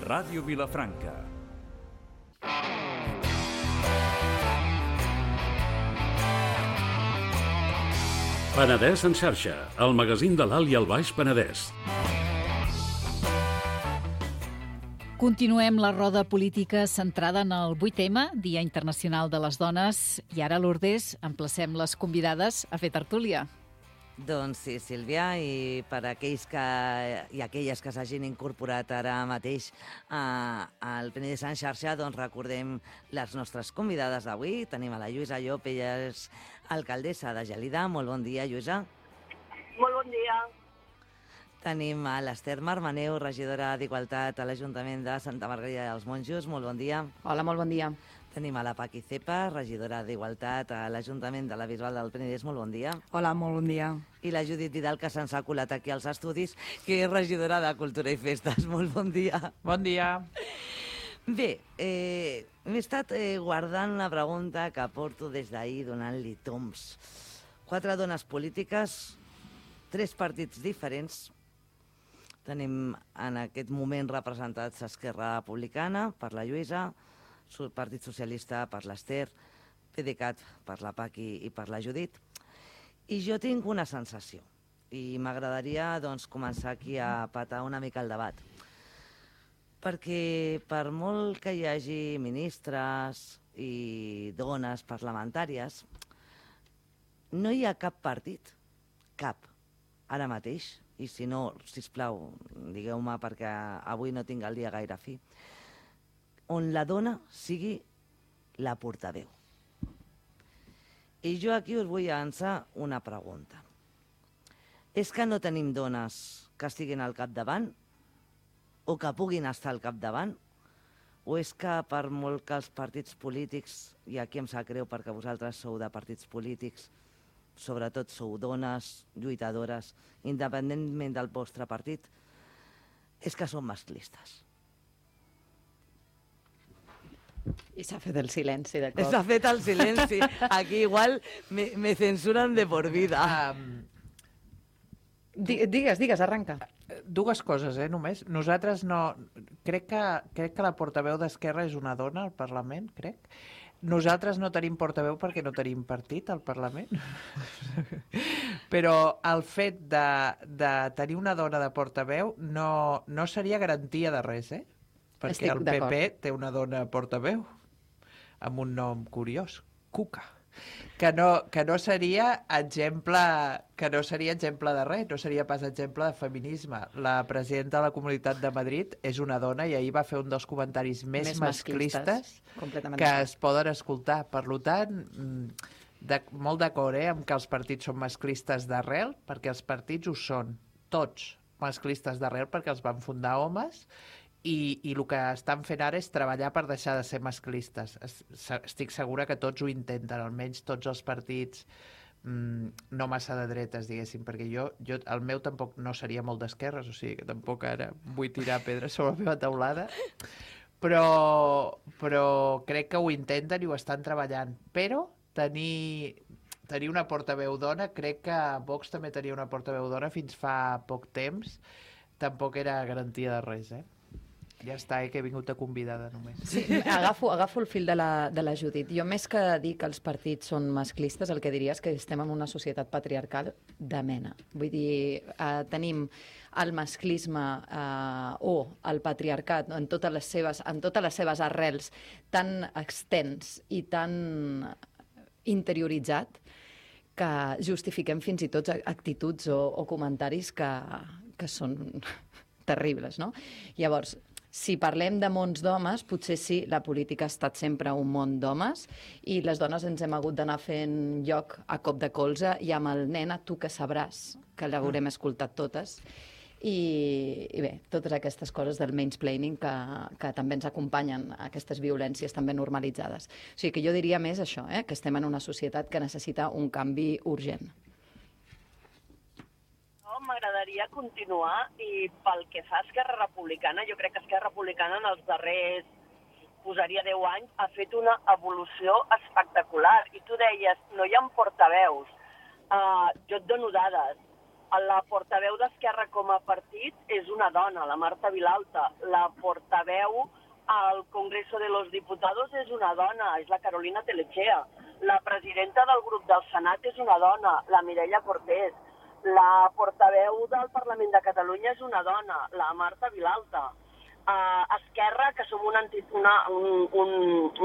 Ràdio Vilafranca. Penedès en xarxa, el magazín de l'Alt i el Baix Penedès. Continuem la roda política centrada en el 8M, Dia Internacional de les Dones, i ara, Lourdes, emplacem les convidades a fer tertúlia. Doncs sí, Sílvia, i per aquells i aquelles que s'hagin incorporat ara mateix al Penedès en xarxa, doncs recordem les nostres convidades d'avui. Tenim a la Lluïsa Llop, ella és alcaldessa de Gelida. Molt bon dia, Lluïsa. Molt bon dia. Tenim a l'Ester Marmaneu, regidora d'Igualtat a l'Ajuntament de Santa Margarida dels Monjos. Molt bon dia. Hola, molt bon dia. Tenim a la Paqui Cepa, regidora d'Igualtat a l'Ajuntament de la Bisbal del Penedès. Molt bon dia. Hola, molt bon dia. I la Judit Vidal, que se'ns ha colat aquí als estudis, que és regidora de Cultura i Festes. Molt bon dia. Bon dia. Bé, m'he estat guardant la pregunta que porto des d'ahir donant-li toms. 4 dones polítiques, 3 partits diferents. Tenim en aquest moment representats Esquerra Republicana per la Lluïsa, Partit Socialista per l'Ester, PDeCAT per la Paqui i per la Judit. I jo tinc una sensació, i m'agradaria doncs, començar aquí a patar una mica el debat. Perquè per molt que hi hagi ministres i dones parlamentàries, no hi ha cap partit, cap, ara mateix, i si no, sisplau, digueu-me perquè avui no tinc el dia gaire fi, on la dona sigui la portaveu. I jo aquí us vull llançar una pregunta. És que no tenim dones que estiguin al capdavant o que puguin estar al capdavant? O és que per molt que els partits polítics, i aquí em sap greu perquè vosaltres sou de partits polítics, sobretot sou dones, lluitadores, independentment del vostre partit, és que són masclistes? I s'ha fet el silenci de cop. S'ha fet el silenci. Aquí igual me censuren de por vida. Digues, arranca. 2 coses, només. Nosaltres no... Crec que la portaveu d'Esquerra és una dona al Parlament, crec. Nosaltres no tenim portaveu perquè no tenim partit al Parlament. Però el fet de tenir una dona de portaveu no seria garantia de res, perquè el PP té una dona portaveu amb un nom curiós, Cuca, que no seria exemple de res, no seria pas exemple de feminisme. La presidenta de la Comunitat de Madrid és una dona i ahir va fer un dels comentaris més masclistes que es poden escoltar. Per tant, molt d'acord amb que els partits són masclistes d'arrel, perquè els partits ho són, tots masclistes d'arrel, perquè els van fundar homes, i el que estan fent ara és treballar per deixar de ser masclistes. Estic segura que tots ho intenten, almenys tots els partits no massa de dretes, diguéssim, perquè jo el meu tampoc no seria molt d'esquerres, o sigui que tampoc ara vull tirar pedres sobre la meva teulada, però crec que ho intenten i ho estan treballant. Però tenir una portaveu dona, crec que Vox també tenia una portaveu dona fins fa poc temps, tampoc era garantia de res, Ja està, que he vingut de convidada només. Sí, agafo el fil de la Judit. Jo, més que dir que els partits són masclistes, el que diria és que estem en una societat patriarcal de mena. Vull dir, tenim el masclisme o el patriarcat en totes les seves arrels tan extens i tan interioritzat que justifiquem fins i tot actituds o comentaris que són terribles, no? Llavors, si parlem de mons d'homes, potser sí, la política ha estat sempre un món d'homes i les dones ens hem hagut d'anar fent lloc a cop de colze i amb el Nena, tu que sabràs, que l'haurem escoltat totes. I bé, totes aquestes coses del mansplaining que també ens acompanyen, aquestes violències també normalitzades. O sigui que jo diria més això, que estem en una societat que necessita un canvi urgent. M'agradaria continuar i pel que fa a Esquerra Republicana, jo crec que Esquerra Republicana en els darrers, posaria 10 anys, ha fet una evolució espectacular. I tu deies, no hi ha portaveus. Jo et dono dades. La portaveu d'Esquerra com a partit és una dona, la Marta Vilalta. La portaveu al Congreso de los Diputados és una dona, és la Carolina Telechea. La presidenta del grup del Senat és una dona, la Mireia Cortés. La portaveu del Parlament de Catalunya és una dona, la Marta Vilalta. Esquerra, que som un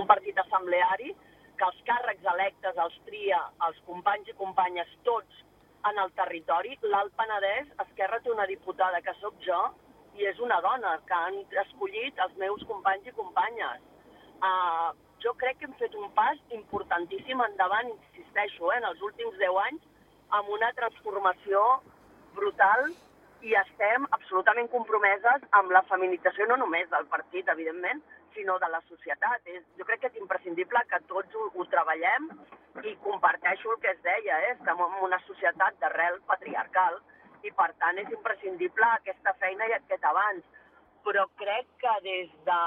partit assembleari, que els càrrecs electes els tria els companys i companyes tots en el territori. L'Alt Penedès, Esquerra té una diputada que sóc jo i és una dona que han escollit els meus companys i companyes. Jo crec que hem fet un pas importantíssim endavant, insisteixo, en els últims 10 anys, amb una transformació brutal i estem absolutament compromeses amb la feminització no només del partit, evidentment, sinó de la societat. Jo crec que és imprescindible que tots ho treballem i comparteixo el que es deia, estem en una societat d'arrel patriarcal i per tant és imprescindible aquesta feina i aquest avanç. Però crec que des de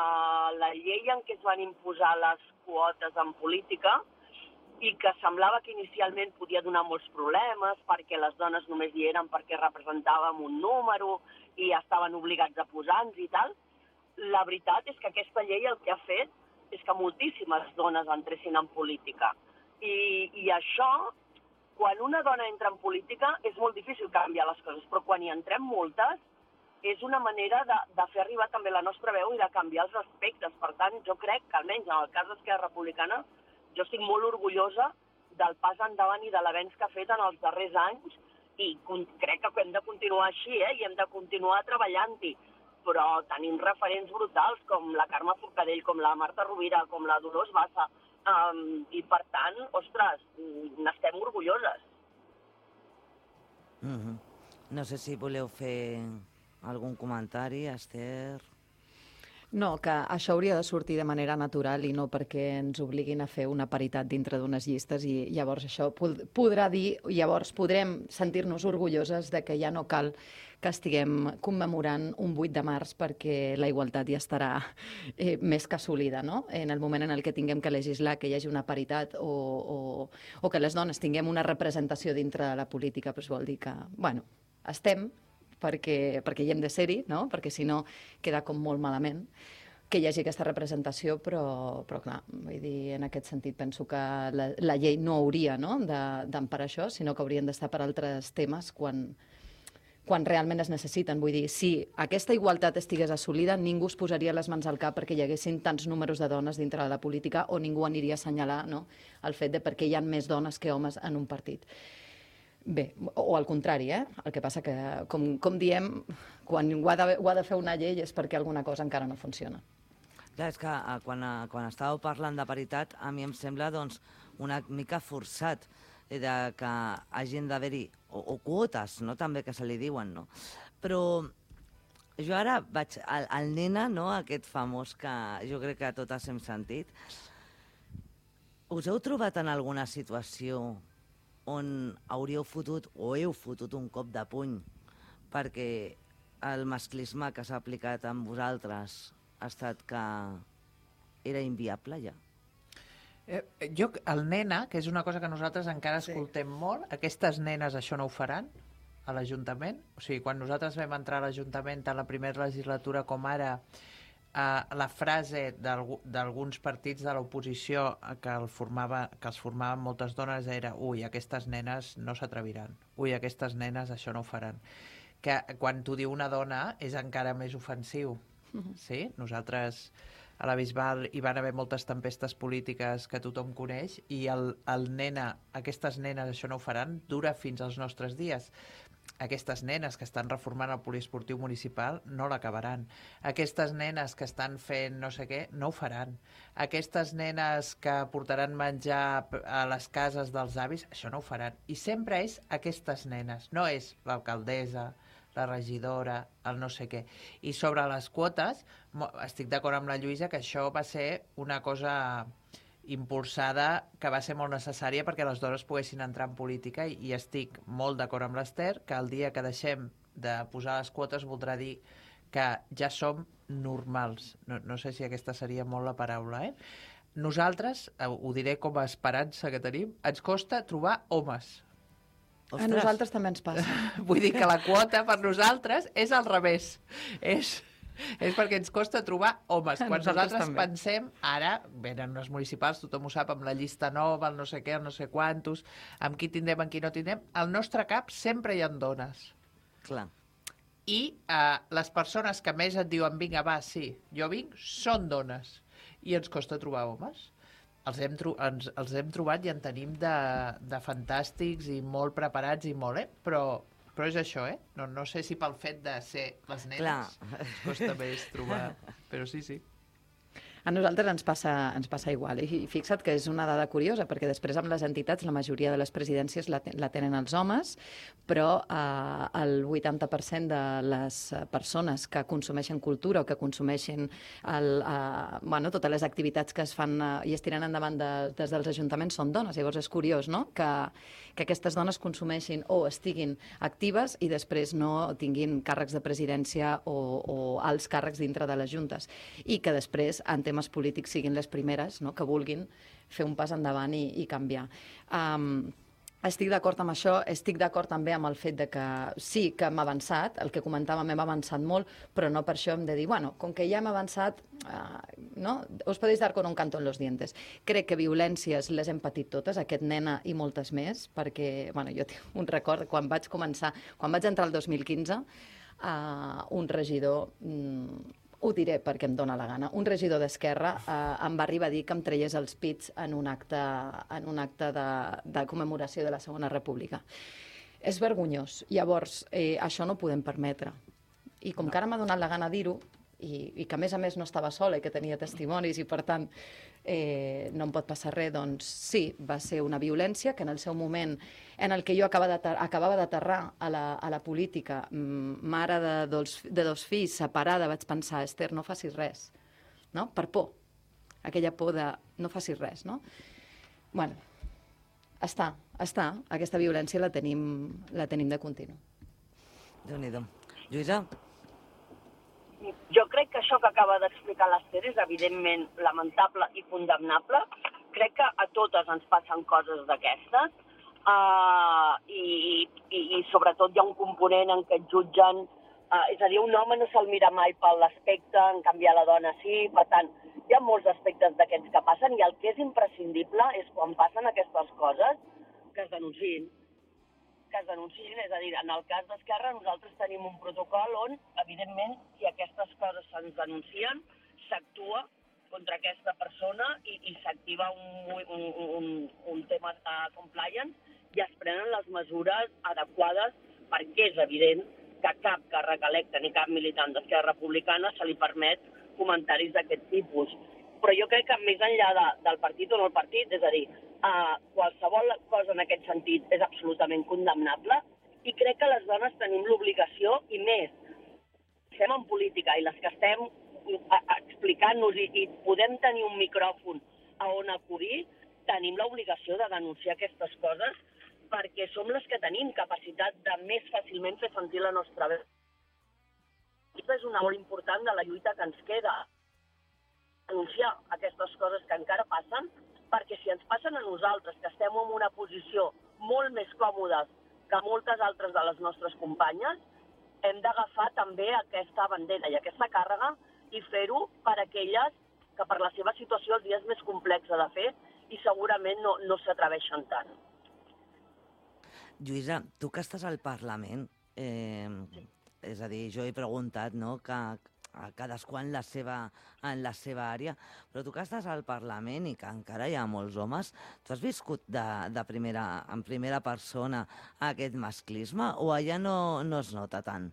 la llei en què es van imposar les quotes en política i que semblava que inicialment podia donar molts problemes perquè les dones només hi eren perquè representàvem un número i estaven obligats a posar-nos i tal, la veritat és que aquesta llei el que ha fet és que moltíssimes dones entressin en política. I això, quan una dona entra en política, és molt difícil canviar les coses, però quan hi entrem moltes, és una manera de fer arribar també la nostra veu i de canviar els aspectes. Per tant, jo crec que, almenys en el cas d'Esquerra Republicana, jo estic molt orgullosa del pas endavant i de l'avenç que ha fet en els darrers anys i crec que hem de continuar així, i hem de continuar treballant-hi. Però tenim referents brutals com la Carme Forcadell, com la Marta Rovira, com la Dolors Bassa, i per tant, ostres, n'estem orgulloses. No sé si voleu fer algun comentari, Esther? No, que això hauria de sortir de manera natural i no perquè ens obliguin a fer una paritat dintre d'unes llistes i llavors això podrà dir, llavors podrem sentir-nos orgulloses de que ja no cal que estiguem commemorant un 8 de març perquè la igualtat ja estarà més que assolida, no? En el moment en el que tinguem que legislar que hi hagi una paritat o que les dones tinguem una representació dintre de la política, doncs vol dir que, bueno, estem perquè hi hem de ser-hi, no? Perquè si no queda com molt malament que hi hagi aquesta representació, però clar, vull dir, en aquest sentit penso que la llei no hauria d'emparar això, sinó que haurien d'estar per altres temes quan realment es necessiten. Vull dir, si aquesta igualtat estigués assolida, ningú es posaria les mans al cap perquè hi haguessin tants números de dones dintre de la política o ningú aniria a assenyalar el fet de perquè hi ha més dones que homes en un partit. Bé, o al contrari, el que passa que, com diem, quan ho ha de fer una llei és perquè alguna cosa encara no funciona. Clar, és que quan estàveu parlant de paritat, a mi em sembla una mica forçat de que hagin d'haver-hi, o quotes, no? També que se li diuen, no? Però jo ara vaig al Nena, no? Aquest famós que jo crec que totes hem sentit. Us heu trobat en alguna situació on hauríeu fotut o heu fotut un cop de puny perquè el masclisme que s'ha aplicat amb vosaltres ha estat que era inviable ja? El Nena, que és una cosa que nosaltres encara escoltem molt, aquestes nenes això no ho faran a l'Ajuntament? O sigui, quan nosaltres vam entrar a l'Ajuntament a la primera legislatura com ara, la frase d'alguns partits de l'oposició que els formaven moltes dones era ui, aquestes nenes no s'atreviran, ui, aquestes nenes això no ho faran. Que quan t'ho diu una dona és encara més ofensiu. Sí? Nosaltres a la Bisbal hi van haver moltes tempestes polítiques que tothom coneix i el Nena, aquestes nenes això no ho faran, dura fins als nostres dies. Aquestes nenes que estan reformant el poliesportiu municipal no l'acabaran. Aquestes nenes que estan fent no sé què no ho faran. Aquestes nenes que portaran menjar a les cases dels avis, això no ho faran. I sempre és aquestes nenes, no és l'alcaldessa, la regidora, el no sé què. I sobre les quotes, estic d'acord amb la Lluïsa que això va ser una cosa impulsada que va ser molt necessària perquè les dones poguessin entrar en política i estic molt d'acord amb l'Esther que el dia que deixem de posar les quotes voldrà dir que ja som normals. No sé si aquesta seria molt la paraula, Nosaltres, ho diré com a esperança que tenim, ens costa trobar homes. A nosaltres també ens passa. Vull dir que la quota per nosaltres és al revés. És perquè ens costa trobar homes. Quan nosaltres pensem, ara venen unes municipals, tothom ho sap, amb la llista nova, el no sé què, el no sé quantos, amb qui tindrem, amb qui no tindrem, al nostre cap sempre hi ha dones. Clar. I les persones que més et diuen vinga, va, sí, jo vinc, són dones. I ens costa trobar homes. Els hem trobat i en tenim de fantàstics i molt preparats i molt, però és això, No sé si pel fet de ser les nenes ens costa més trobar, però sí. A nosaltres ens passa igual. I fixa't que és una dada curiosa, perquè després amb les entitats la majoria de les presidències la tenen els homes, però el 80% de les persones que consumeixen cultura o que consumeixen totes les activitats que es fan i es tiren endavant des dels ajuntaments són dones. Llavors és curiós, no?, que aquestes dones consumeixin o estiguin actives i després no tinguin càrrecs de presidència o alts càrrecs dintre de les juntes. I que després, en temes polítics, siguin les primeres, no?, que vulguin fer un pas endavant i canviar. Estic d'acord amb això, estic d'acord també amb el fet de que sí que hem avançat, el que comentàvem, hem avançat molt, però no per això hem de dir, bueno, com que ja hem avançat, no? Us podeu dar con un canto en los dientes. Crec que violències les hem patit totes, aquest nena i moltes més, perquè, bueno, jo tinc un record, quan vaig entrar el 2015, un regidor... ho diré perquè em dóna la gana. Un regidor d'Esquerra em va arribar a dir que em traiés els pits en un acte de commemoració de la Segona República. És vergonyós. Llavors, això no ho podem permetre. I com que ara m'ha donat la gana dir-ho, i que a més no estava sola i que tenia testimonis i per tant no em pot passar res, doncs sí, va ser una violència que en el seu moment en el que jo acabava d'aterrar a la política, mare de dos fills, separada, vaig pensar, Esther, no facis res, no? Per por, aquella por de no facis res, no? Bueno, està, aquesta violència la tenim de continu. Déu-n'hi-do. Lluïsa? Jo crec que això que acaba d'explicar l'Esther és evidentment lamentable i condemnable. Crec que a totes ens passen coses d'aquestes i sobretot hi ha un component en què et jutgen, és a dir, un home no se'l mira mai per l'aspecte, en canvi a la dona sí, per tant, hi ha molts aspectes d'aquests que passen i el que és imprescindible és quan passen aquestes coses que es denunciïn. És a dir, en el cas d'Esquerra nosaltres tenim un protocol on, evidentment, si aquestes coses se'ns denuncien, s'actua contra aquesta persona i s'activa un tema de compliance i es prenen les mesures adequades perquè és evident que cap càrrec electe ni cap militant d'Esquerra Republicana se li permet comentaris d'aquest tipus. Però jo crec que més enllà del partit o no el partit, és a dir, qualsevol cosa en aquest sentit és absolutament condemnable i crec que les dones tenim l'obligació, i més, estem en política i les que estem explicant-nos i podem tenir un micròfon a on acudir, tenim l'obligació de denunciar aquestes coses perquè som les que tenim capacitat de més fàcilment fer sentir la nostra veu. Aquesta és una molt important de la lluita que ens queda. Denunciar aquestes coses que encara passen, perquè si ens passen a nosaltres, que estem en una posició molt més còmodes que moltes altres de les nostres companyes, hem d'agafar també aquesta bandera i aquesta càrrega i fer-ho per aquelles que per la seva situació el dia és més complex de fer i segurament no s'atreveixen tant. Lluïsa, tu que estàs al Parlament, és a dir, jo he preguntat, no?, que a cadascú en la seva àrea, però tu que estàs al Parlament i que encara hi ha molts homes, tu has viscut en primera persona aquest masclisme o allà no es nota tant?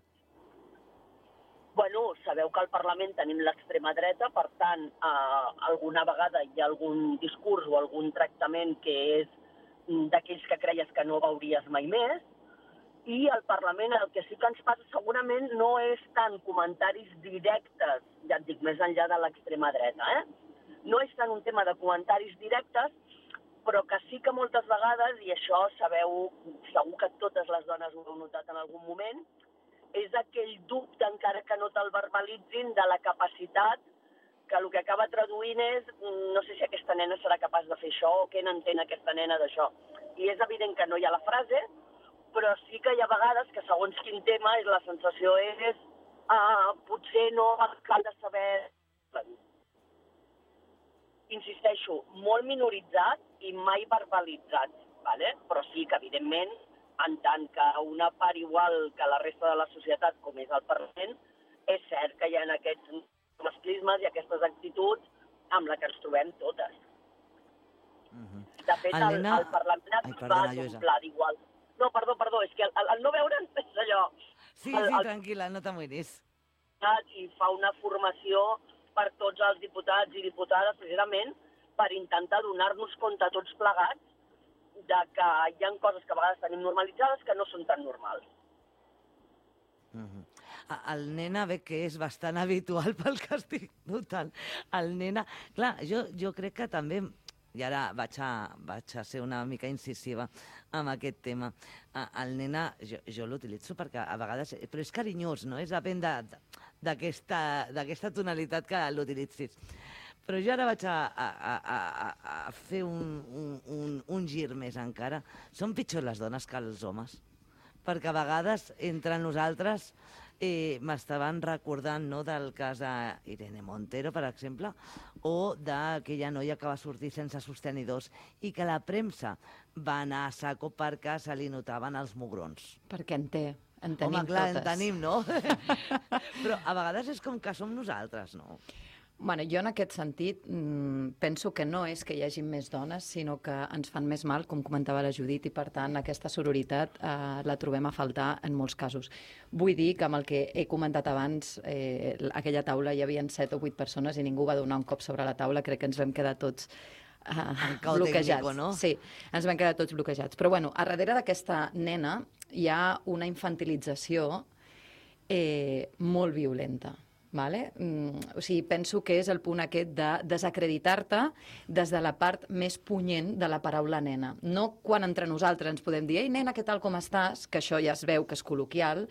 Bueno, sabeu que al Parlament tenim l'extrema dreta, per tant, alguna vegada hi ha algun discurs o algun tractament que és d'aquells que creies que no veuries mai més, i al Parlament el que sí que ens passa segurament no és tant comentaris directes, ja et dic, més enllà de l'extrema dreta, No és tant un tema de comentaris directes, però que sí que moltes vegades, i això sabeu, segur que totes les dones ho heu notat en algun moment, és aquell dubte, encara que no te'l verbalitzin, de la capacitat que el que acaba traduint és no sé si aquesta nena serà capaç de fer això o què n'entén aquesta nena d'això. I és evident que no hi ha la frase, però sí que hi ha vegades que segons quin tema la sensació és potser no cal de saber... Insisteixo, molt minoritzat i mai verbalitzat, ¿vale? Però sí que, evidentment, en tant que una part igual que la resta de la societat, com és el Parlament, és cert que hi ha aquests masclismes i aquestes actituds amb la que ens trobem totes. De fet, el Parlament va domplar d'igual. No, perdó, és que el no veure'n és allò... Sí, tranquil·la, no t'amoïnis. I fa una formació per tots els diputats i diputades, precisament, per intentar donar-nos compte tots plegats de que hi ha coses que a vegades tenim normalitzades que no són tan normals. El nena, bé, que és bastant habitual pel que estic notant. El nena... Clar, jo crec que també... I ara vaig a ser una mica incisiva amb aquest tema. El nena, jo l'utilitzo perquè a vegades... Però és carinyós, no? És depèn d'aquesta tonalitat que l'utilitzis. Però jo ara vaig a fer un gir més encara. Són pitjors les dones que els homes. Perquè a vegades, entre nosaltres, m'estaven recordant del cas d'Irene Montero, per exemple, o d'aquella noia que va sortir sense sostenidors i que la premsa va anar a saco perquè se li notaven els mugrons. Perquè en tenim totes. Home, clar, en tenim, no? Però a vegades és com que som nosaltres, no? Bueno, jo en aquest sentit penso que no és que hi hagi més dones, sinó que ens fan més mal, com comentava la Judit, i per tant aquesta sororitat la trobem a faltar en molts casos. Vull dir que amb el que he comentat abans, aquella taula hi havia 7 o 8 persones i ningú va donar un cop sobre la taula, crec que ens vam quedar tots bloquejats. Tècnico, no? Sí, ens vam quedar tots bloquejats. Però bueno, a darrere d'aquesta nena hi ha una infantilització molt violenta. Vale? O sigui, penso que és el punt aquest de desacreditar-te des de la part més punyent de la paraula nena. No quan entre nosaltres ens podem dir «Ei, nena, què tal, com estàs?», que això ja es veu que és col·loquial,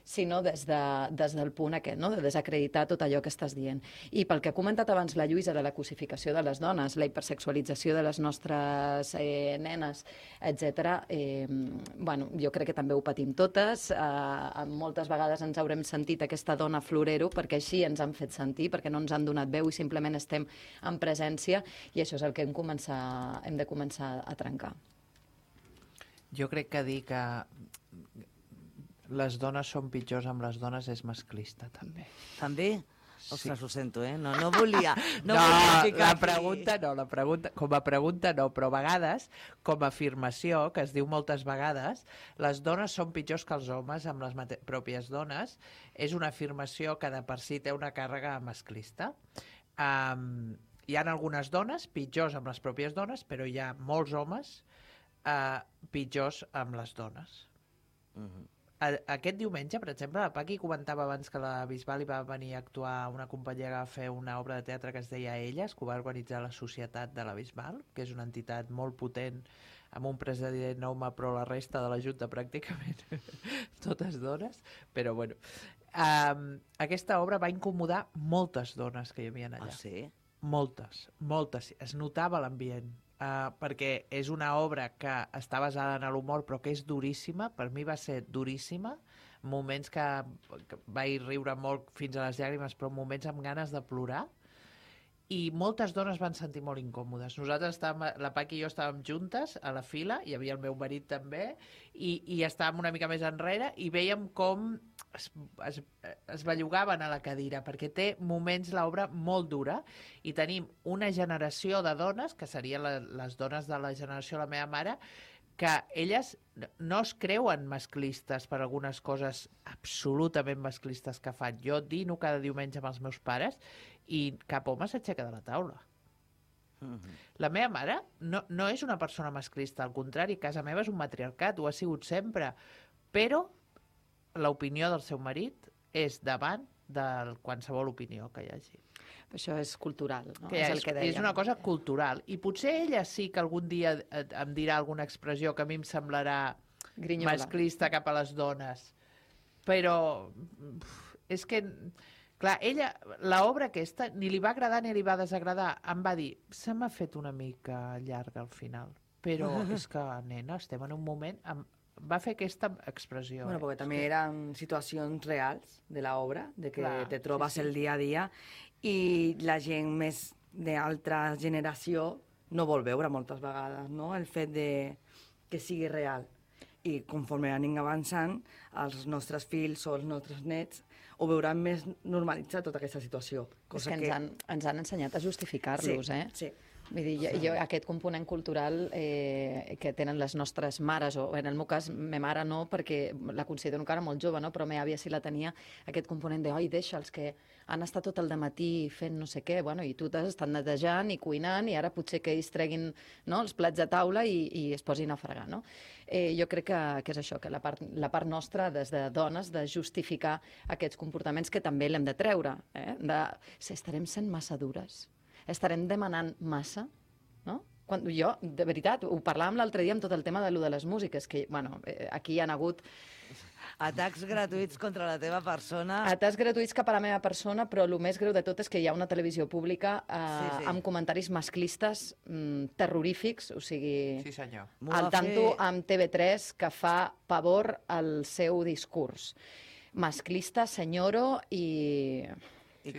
sinó des del punt aquest, no? De desacreditar tot allò que estàs dient. I pel que ha comentat abans la Lluïsa de la cosificació de les dones, la hipersexualització de les nostres nenes, etc. Bueno, jo crec que també ho patim totes. Moltes vegades ens haurem sentit aquesta dona florero perquè així ens han fet sentir, perquè no ens han donat veu i simplement estem en presència, i això és el que hem de començar a trencar. Jo crec que dir que les dones són pitjors amb les dones és masclista, també. També? Ostres, ho sento, No volia la pregunta com a pregunta no, però a vegades, com a afirmació, que es diu moltes vegades, les dones són pitjors que els homes amb les pròpies dones, és una afirmació que de per si té una càrrega masclista. Hi ha algunes dones pitjors amb les pròpies dones, però hi ha molts homes pitjors amb les dones. Aquest diumenge, per exemple, la Paqui comentava abans que la Bisbal hi va venir a actuar una companyia que va fer una obra de teatre que es deia Elles, que ho va organitzar la Societat de la Bisbal, que és una entitat molt potent, amb un president home, però la resta de la Junta pràcticament totes dones, però bueno. Aquesta obra va incomodar moltes dones que hi havia allà. Ah, sí? Moltes. Es notava l'ambient. Perquè és una obra que està basada en l'humor però que és duríssima, per mi va ser duríssima, moments que vaig riure molt fins a les llàgrimes, però moments amb ganes de plorar, i moltes dones van sentir molt incòmodes. Nosaltres la Paqui i jo estàvem juntes a la fila, hi havia el meu marit també, i estàvem una mica més enrere i vèiem com es bellugaven a la cadira, perquè té moments l'obra molt dura, i tenim una generació de dones, que serien les dones de la generació de la meva mare, que elles no es creuen masclistes per algunes coses absolutament masclistes que fan. Jo dino cada diumenge amb els meus pares i cap home s'aixeca de la taula. La meva mare no és una persona masclista, al contrari, casa meva és un matriarcat, ho ha sigut sempre, però l'opinió del seu marit és davant de qualsevol opinió que hi hagi. Això és cultural, no? Que és una cosa cultural. I potser ella sí que algun dia em dirà alguna expressió que a mi em semblarà grinyola, masclista cap a les dones. Però és que, clar, ella, l'obra aquesta, ni li va agradar ni li va desagradar. Em va dir, se m'ha fet una mica llarga al final. Però és que, nena, estem en un moment va fer aquesta expressió. Bueno, porque también eran situacions reals de la obra, de que Clar, te trobes sí, sí. el dia a dia, i la gent més d'altra generació no vol veure moltes vegades, no?, el fet de que sigui real. I conforme anem avançant, els nostres fills o els nostres nets ho veuran més normalitzat tota aquesta situació. És que ens han ensenyat a justificar-los, Sí, eh? sí. Vull dir, jo aquest component cultural que tenen les nostres mares, o en el meu cas, ma mare no, perquè la considero encara molt jove, no? Però ma àvia sí la tenia, aquest component de, oi, deixa'ls, que han estat tot el dematí fent no sé què, bueno, i tu t'has estat netejant i cuinant, i ara potser que ells treguin, no?, els plats de taula i es posin a fregar, no? Jo crec que és això, que la part nostra, des de dones, de justificar aquests comportaments que també l'hem de treure, estarem sent massa dures, estarem demanant massa, no? Quan jo, de veritat, ho parlàvem l'altre dia amb tot el tema de les músiques, que, bueno, aquí hi ha hagut atacs gratuïts contra la teva persona. Atacs gratuïts cap a la meva persona, però el més greu de tot és que hi ha una televisió pública amb comentaris masclistes terrorífics, o sigui, Sí, senyor. al tanto amb TV3, que fa pavor al seu discurs. Masclista, senyoro i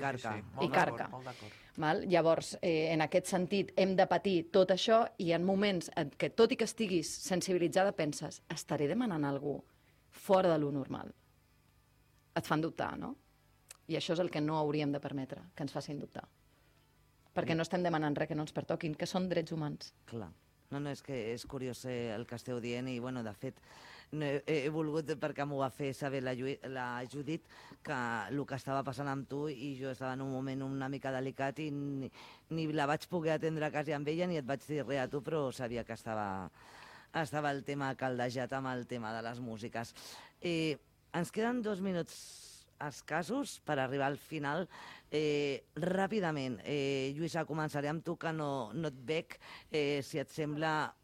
carca. I carca. Molt d'acord. Llavors, en aquest sentit, hem de patir tot això i en moments en què, tot i que estiguis sensibilitzada, penses, estaré demanant a algú fora de lo normal. Et fan dubtar, no? I això és el que no hauríem de permetre, que ens facin dubtar. Perquè no estem demanant res que no ens pertoquin, que són drets humans. Clar. No, és que és curiós el que esteu dient i, bueno, de fet, he volgut, perquè m'ho va fer saber la Judit, que el que estava passant amb tu, i jo estava en un moment una mica delicat i ni la vaig poder atendre quasi amb ella ni et vaig dir res a tu, però sabia que estava el tema caldejat amb el tema de les músiques. Ens queden 2 minuts escassos per arribar al final. Ràpidament, Lluïsa, començaré amb tu, que no et veig. Si et sembla,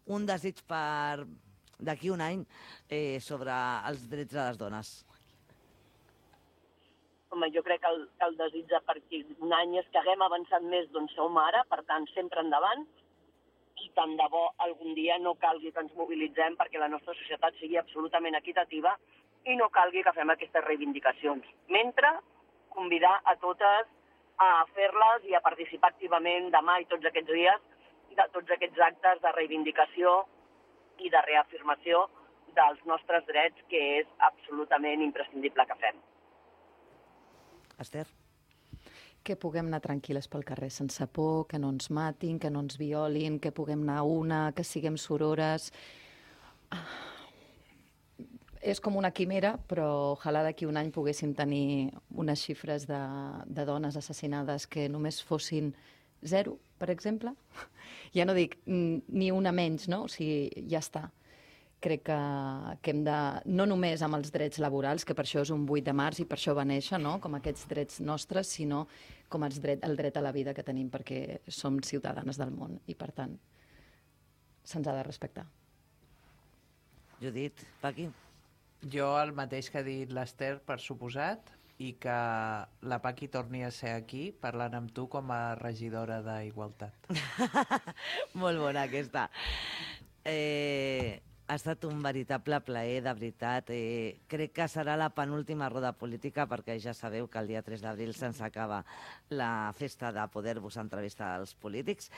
un desig per d'aquí un any sobre els drets de les dones. Home, jo crec que el desig de per aquí un any és que haguem avançat més d'on som ara, per tant, sempre endavant, i tant de bo algun dia no calgui que ens mobilitzem perquè la nostra societat sigui absolutament equitativa i no calgui que fem aquestes reivindicacions. Mentre, convidar a totes a fer-les i a participar activament demà i tots aquests dies de tots aquests actes de reivindicació i de reafirmació dels nostres drets, que és absolutament imprescindible que fem. Esther? Que puguem anar tranquil·les pel carrer sense por, que no ens matin, que no ens violin, que puguem anar a una, que siguem sorores. És com una quimera, però ojalà d'aquí un any poguéssim tenir unes xifres de dones assassinades que només fossin 0, per exemple. Ja no dic ni una menys, no? O sigui, ja està. Crec que hem de, no només amb els drets laborals, que per això és un 8 de març i per això va néixer, no?, com aquests drets nostres, sinó com el dret a la vida que tenim, perquè som ciutadanes del món i, per tant, se'ns ha de respectar. Judit, Paqui? Jo el mateix que ha dit l'Esther, per suposat, i que la Paqui torni a ser aquí parlant amb tu com a regidora d'Igualtat. Molt bona aquesta. Ha estat un veritable plaer, de veritat. Crec que serà la penúltima roda política, perquè ja sabeu que el dia 3 d'abril se'ns acaba la festa de poder-vos entrevistar als polítics,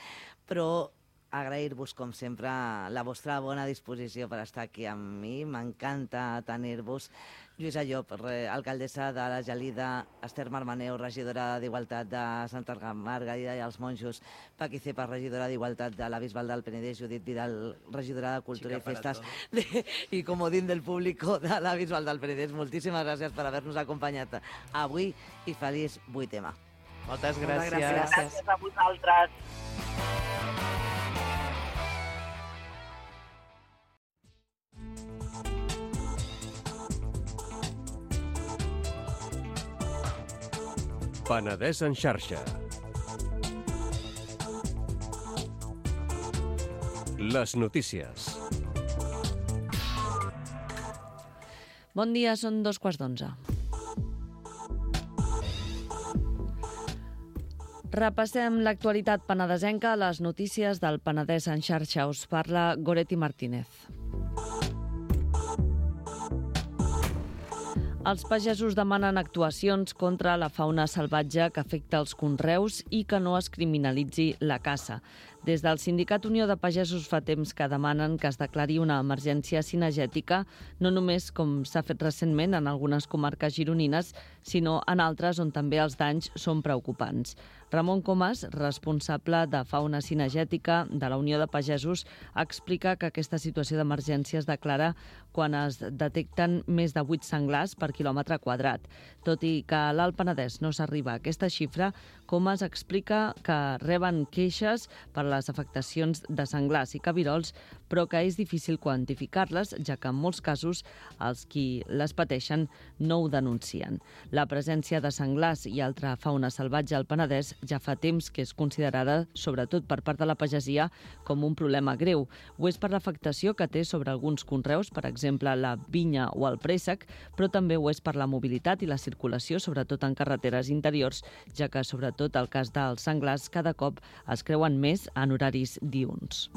però agrair-vos, com sempre, la vostra bona disposició per estar aquí amb mi. M'encanta tenir-vos. Lluïsa Llop, alcaldessa de la Gelida, Esther Marmaneu, regidora d'Igualtat de Santa Margarida i els Monjos, Paqui Cepas, regidora d'Igualtat de la Bisbal del Penedès, Judit Vidal, regidora de Cultura i Festes i comodín del público de la Bisbal del Penedès. Moltíssimes gràcies per haver-nos acompanyat avui i feliç 8M. Moltes gràcies. Gràcies a vosaltres. Penedès en xarxa. Les notícies. Bon dia, són 11:15. Repassem l'actualitat penedesenca a les notícies del Penedès en xarxa. Us parla Goretti Martínez. Els pagesos demanen actuacions contra la fauna salvatge que afecta els conreus i que no es criminalitzi la caça. Des del Sindicat Unió de Pagesos fa temps que demanen que es declari una emergència cinegètica, no només com s'ha fet recentment en algunes comarques gironines, sinó en altres on també els danys són preocupants. Ramon Comas, responsable de fauna cinegètica de la Unió de Pagesos, explica que aquesta situació d'emergència es declara quan es detecten més de 8 senglars per quilòmetre quadrat. Tot i que a l'Alt Penedès no s'arriba a aquesta xifra, Comas explica que reben queixes per les afectacions de senglars i cabirols, però que és difícil quantificar-les, ja que en molts casos els qui les pateixen no ho denuncien. La presència de senglars i altra fauna salvatge al Penedès ja fa temps que és considerada, sobretot per part de la pagesia, com un problema greu. Ho és per l'afectació que té sobre alguns conreus, per exemple la vinya o el préssec, però també ho és per la mobilitat i la circulació, sobretot en carreteres interiors, ja que, sobretot el cas dels senglars, cada cop es creuen més en horaris diürns.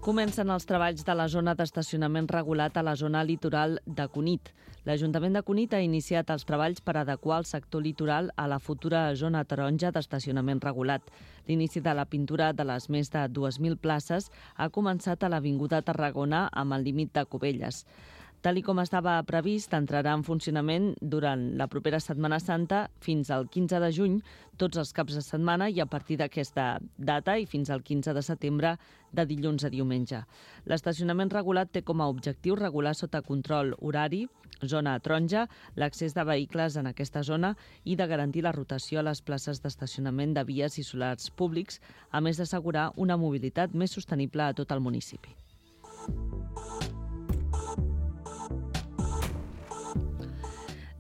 Comencen els treballs de la zona d'estacionament regulat a la zona litoral de Cunit. L'Ajuntament de Cunit ha iniciat els treballs per adequar el sector litoral a la futura zona taronja d'estacionament regulat. L'inici de la pintura de les més de 2.000 places ha començat a l'Avinguda Tarragona amb el límit de Cubelles. Tal com estava previst, entrarà en funcionament durant la propera Setmana Santa fins al 15 de juny, tots els caps de setmana, i a partir d'aquesta data i fins al 15 de setembre, de dilluns a diumenge. L'estacionament regulat té com a objectiu regular sota control horari, zona taronja, l'accés de vehicles en aquesta zona i de garantir la rotació a les places d'estacionament de vies i solars públics, a més d'assegurar una mobilitat més sostenible a tot el municipi.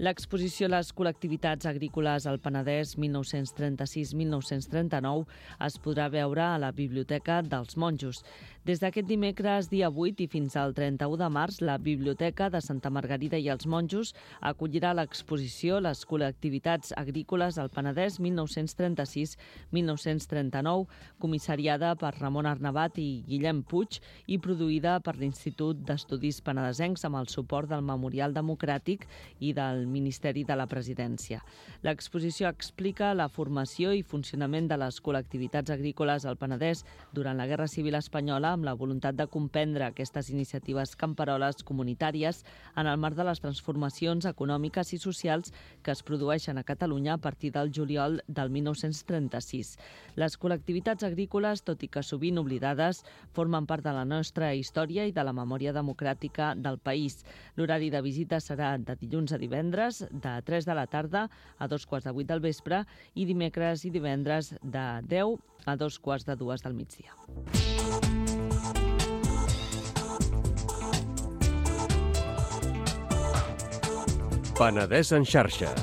L'exposició Les col·lectivitats agrícoles al Penedès 1936-1939 es podrà veure a la Biblioteca dels Monjos. Des d'aquest dimecres, dia 8, i fins al 31 de març, la Biblioteca de Santa Margarida i els Monjos acollirà l'exposició Les col·lectivitats agrícoles al Penedès 1936-1939, comissariada per Ramon Arnabat i Guillem Puig i produïda per l'Institut d'Estudis Penedesencs amb el suport del Memorial Democràtic i del Ministeri de la Presidència. L'exposició explica la formació i funcionament de les col·lectivitats agrícoles al Penedès durant la Guerra Civil Espanyola, amb la voluntat de comprendre aquestes iniciatives camperoles comunitàries en el marc de les transformacions econòmiques i socials que es produeixen a Catalunya a partir del juliol del 1936. Les col·lectivitats agrícoles, tot i que sovint oblidades, formen part de la nostra història i de la memòria democràtica del país. L'horari de visita serà de dilluns a divendres, de 3 de la tarda a 2:15 del vespre, i dimecres i divendres de 10 a 2:15 del migdia. Penedès en xarxa.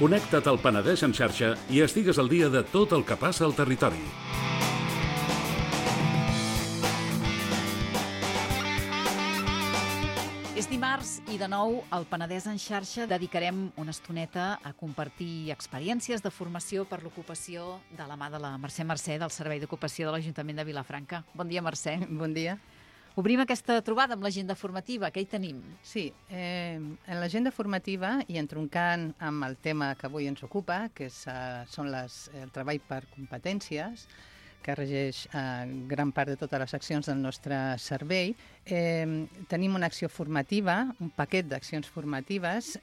Connecta't al Penedès en xarxa i estigues al dia de tot el que passa al territori. És dimarts i de nou al Penedès en xarxa dedicarem una estoneta a compartir experiències de formació per l'ocupació de la mà de la Mercè Mercè del Servei d'Ocupació de l'Ajuntament de Vilafranca. Bon dia, Mercè. Bon dia. Obrim aquesta trobada amb l'agenda formativa. Què hi tenim? Sí, en l'agenda formativa, i entroncant amb el tema que avui ens ocupa, que són el treball per competències, que regeix gran part de totes les accions del nostre servei, tenim una acció formativa, un paquet d'accions formatives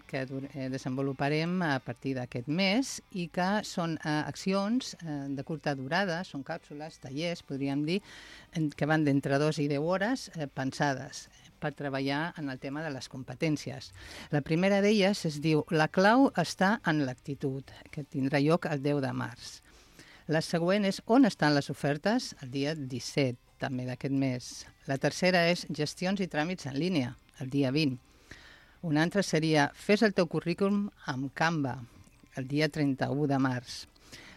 que desenvoluparem a partir d'aquest mes i que són accions de curta durada, són càpsules, tallers, podríem dir, que van d'entre 2 i 10 hores pensades per treballar en el tema de les competències. La primera d'elles es diu La clau està en l'actitud, que tindrà lloc el 10 de març. La següent és On estan les ofertes? El dia 17, també d'aquest mes. La tercera és Gestions i tràmits en línia, el dia 20. Una altra seria Fes el teu currículum amb Canva, el dia 31 de març.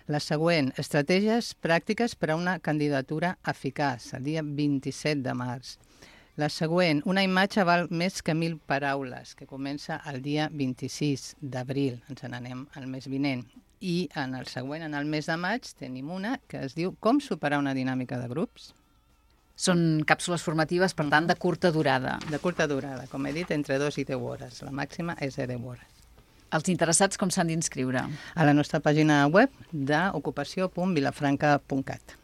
La següent, Estratègies pràctiques per a una candidatura eficaç, el dia 27 de març. La següent, una imatge val més que 1.000 paraules, que comença el dia 26 d'abril, ens n'anem al mes vinent. I en el següent, en el mes de maig, tenim una que es diu Com superar una dinàmica de grups. Són càpsules formatives, per tant, de curta durada. De curta durada, com he dit, entre 2 i 10 hores. La màxima és de 10 hores. Els interessats com s'han d'inscriure? A la nostra pàgina web d'ocupació.vilafranca.cat.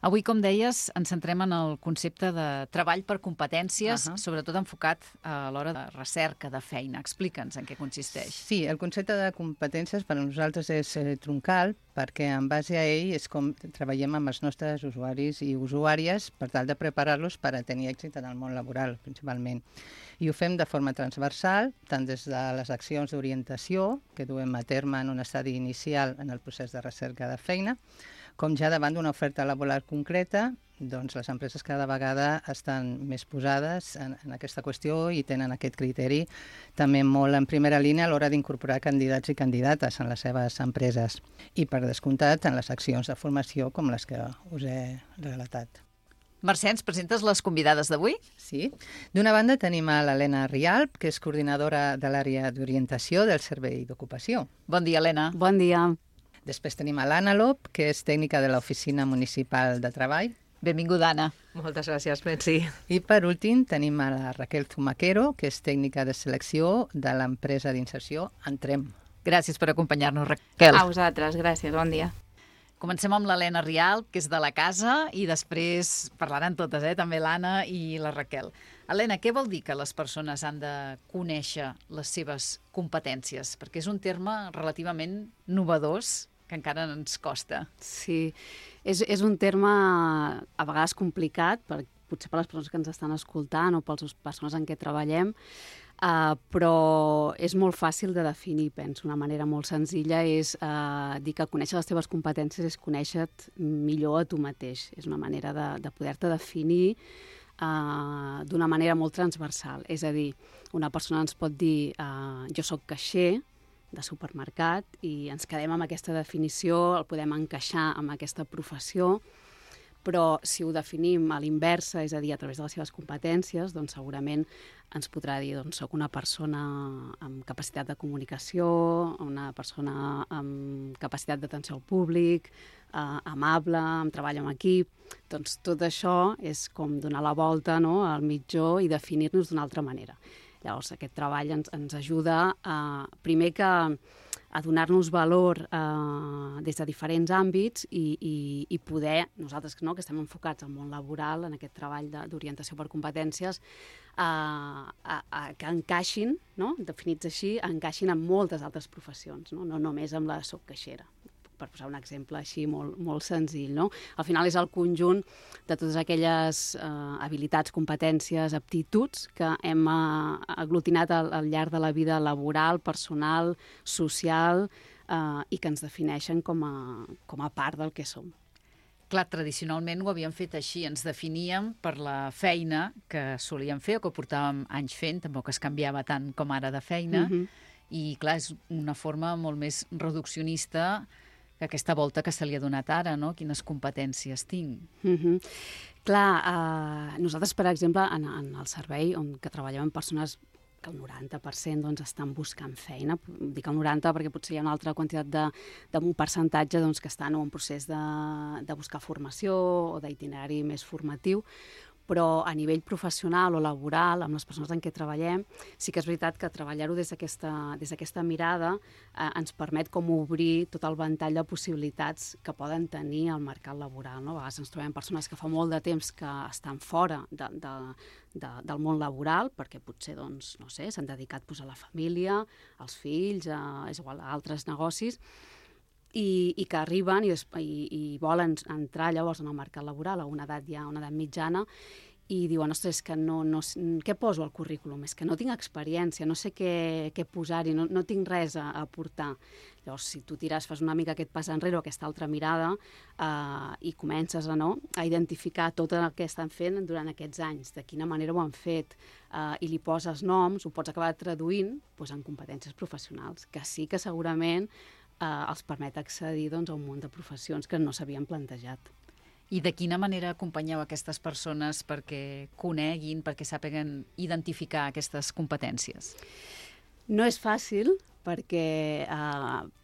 Avui, com deies, ens centrem en el concepte de treball per competències, sobretot enfocat a l'hora de recerca, de feina. Explica'ns en què consisteix. Sí, el concepte de competències per a nosaltres és troncal, perquè en base a ell és com treballem amb els nostres usuaris i usuàries per tal de preparar-los per a tenir èxit en el món laboral, principalment. I ho fem de forma transversal, tant des de les accions d'orientació, que duem a terme en un estadi inicial en el procés de recerca de feina, com ja davant d'una oferta laboral concreta, doncs les empreses cada vegada estan més posades en aquesta qüestió i tenen aquest criteri també molt en primera línia a l'hora d'incorporar candidats i candidates en les seves empreses. I per descomptat en les accions de formació com les que us he relatat. Mercè, ens presentes les convidades d'avui? Sí. D'una banda tenim a l'Helena Rialp, que és coordinadora de l'àrea d'orientació del Servei d'Ocupació. Bon dia, Helena. Bon dia. Després tenim a l'Anna Lop, que és tècnica de l'Oficina Municipal de Treball. Benvinguda, Anna. Moltes gràcies, Metzi. I per últim tenim a la Raquel Zumaquero, que és tècnica de selecció de l'empresa d'inserció Entrem. Gràcies per acompanyar-nos, Raquel. A vosaltres, gràcies, bon dia. Comencem amb l'Helena Rialp, que és de la casa, i després parlaran totes, també l'Anna i la Raquel. Helena, què vol dir que les persones han de conèixer les seves competències? Perquè és un terme relativament novedós que encara ens costa. Sí, és un terme a vegades complicat, potser per les persones que ens estan escoltant o per les persones en què treballem, però és molt fàcil de definir, penso. Una manera molt senzilla és dir que conèixer les teves competències és conèixer-te millor a tu mateix. És una manera de poder-te definir d'una manera molt transversal. És a dir, una persona ens pot dir jo sóc caixer de supermercat i ens quedem amb aquesta definició, el podem encaixar amb aquesta professió, però si ho definim a l'inversa, és a dir, a través de les seves competències, doncs segurament ens podrà dir doncs soc una persona amb capacitat de comunicació, una persona amb capacitat d'atenció al públic, amable, amb treball en equip. Doncs tot això és com donar la volta al mitjó i definir-nos d'una altra manera. Llavors, aquest treball ens ajuda primer que a donar-nos valor des de diferents àmbits i poder, nosaltres que estem enfocats al món laboral, en aquest treball d'orientació per competències, que encaixin, definits així, encaixin en moltes altres professions, no només amb la soc caixera, per posar un exemple així molt senzill. Al final és el conjunt de totes aquelles habilitats, competències, aptituds que hem aglutinat al llarg de la vida laboral, personal, social i que ens defineixen com a part del que som. Clar, tradicionalment ho havíem fet així, ens definíem per la feina que solíem fer o que portàvem anys fent, tampoc es canviava tant com ara de feina, i clar, és una forma molt més reduccionista que aquesta volta que se li ha donat ara, quines competències tinc. Clar, nosaltres, per exemple, en el servei on que treballem amb persones que el 90% estan buscant feina, dic el 90% perquè potser hi ha una altra quantitat d'un percentatge que estan en un procés de buscar formació o d'itinerari més formatiu, però a nivell professional o laboral, amb les persones en què treballem, sí que és veritat que treballar-ho des d'aquesta mirada ens permet com obrir tot el ventall de possibilitats que poden tenir al mercat laboral. A vegades ens trobem persones que fa molt de temps que estan fora del món laboral, perquè potser s'han dedicat a la família, als fills, és igual, a altres negocis, i que arriben i volen entrar llavors en el mercat laboral a una edat mitjana i diuen, ostres, que què poso al currículum? És que no tinc experiència, no sé què posar-hi, no tinc res a aportar. Llavors, si tu fas una mica aquest pas enrere o aquesta altra mirada i comences a identificar tot el que estan fent durant aquests anys, de quina manera ho han fet, i li poses noms, ho pots acabar traduint en competències professionals, que sí que segurament els permet accedir a un munt de professions que no s'havien plantejat. I de quina manera acompanyeu aquestes persones perquè coneguin, perquè sàpiguen identificar aquestes competències? No és fàcil, perquè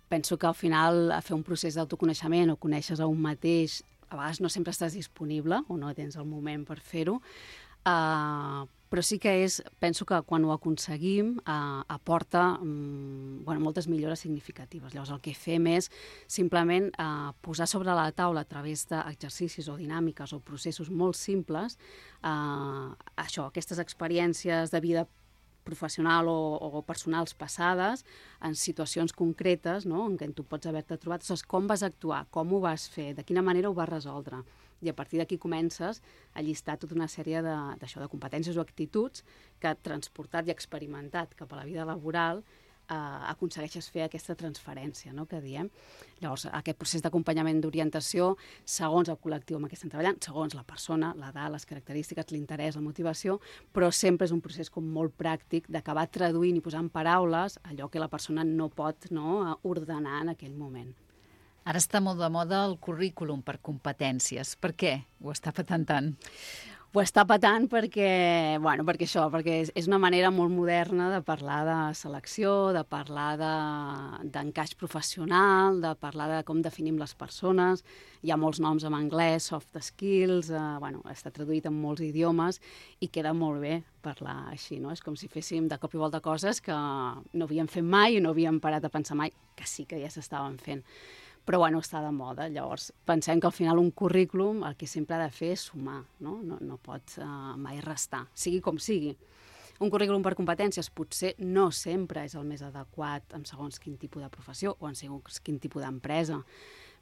penso que al final fer un procés d'autoconeixement o conèixer a un mateix, a vegades no sempre estàs disponible o no tens el moment per fer-ho, però sí que penso que quan ho aconseguim aporta moltes millores significatives. Llavors el que fem és simplement posar sobre la taula a través d'exercicis o dinàmiques o processos molt simples aquestes experiències de vida professional o personals passades en situacions concretes, no?, en què tu pots haver-te trobat. Com vas actuar, com ho vas fer, de quina manera ho vas resoldre. I a partir d'aquí comences a llistar tota una sèrie de competències o actituds que, transportat i experimentat cap a la vida laboral, aconsegueixes fer aquesta transferència, no?, que diem. Llavors, aquest procés d'acompanyament d'orientació, segons el col·lectiu amb què estem treballant, segons la persona, l'edat, les característiques, l'interès, la motivació, però sempre és un procés com molt pràctic d'acabar traduint i posant paraules allò que la persona no pot ordenar en aquell moment. Ara està molt de moda el currículum per competències. Per què ho està patant tant? Ho està patant perquè és una manera molt moderna de parlar de selecció, de parlar d'encaix professional, de parlar de com definim les persones. Hi ha molts noms en anglès, soft skills, està traduït en molts idiomes i queda molt bé parlar així, no? És com si féssim de cop i volta coses que no havíem fet mai i no havíem parat a pensar mai, que sí que ja s'estaven fent. Però està de moda. Llavors, pensem que al final un currículum el que sempre ha de fer és sumar, no? No pot mai restar, sigui com sigui. Un currículum per competències potser no sempre és el més adequat en segons quin tipus de professió o en segons quin tipus d'empresa,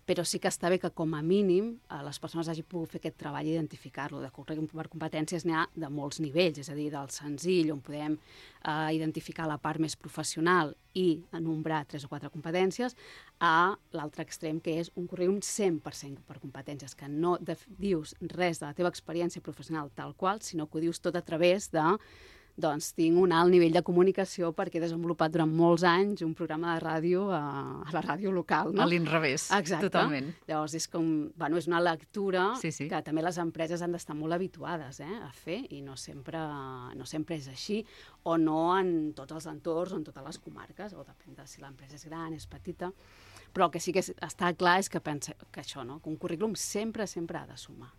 però sí que està bé que, com a mínim, les persones hagin pogut fer aquest treball i identificar-lo. De currículum per competències n'hi ha de molts nivells, és a dir, del senzill, on podem identificar la part més professional i enumbrar 3 o 4 competències, a l'altre extrem, que és un currículum 100% per competències, que no dius res de la teva experiència professional tal qual, sinó que ho dius tot a través de tinc un alt nivell de comunicació perquè he desenvolupat durant molts anys un programa de ràdio a la ràdio local. No? A l'inrevés, totalment. Llavors és és una lectura que també les empreses han d'estar molt habituades a fer i no sempre és així, o no en tots els entorns o en totes les comarques, o depèn de si l'empresa és gran, és petita. Però el que sí que està clar és que penso que això, que un currículum sempre ha de sumar.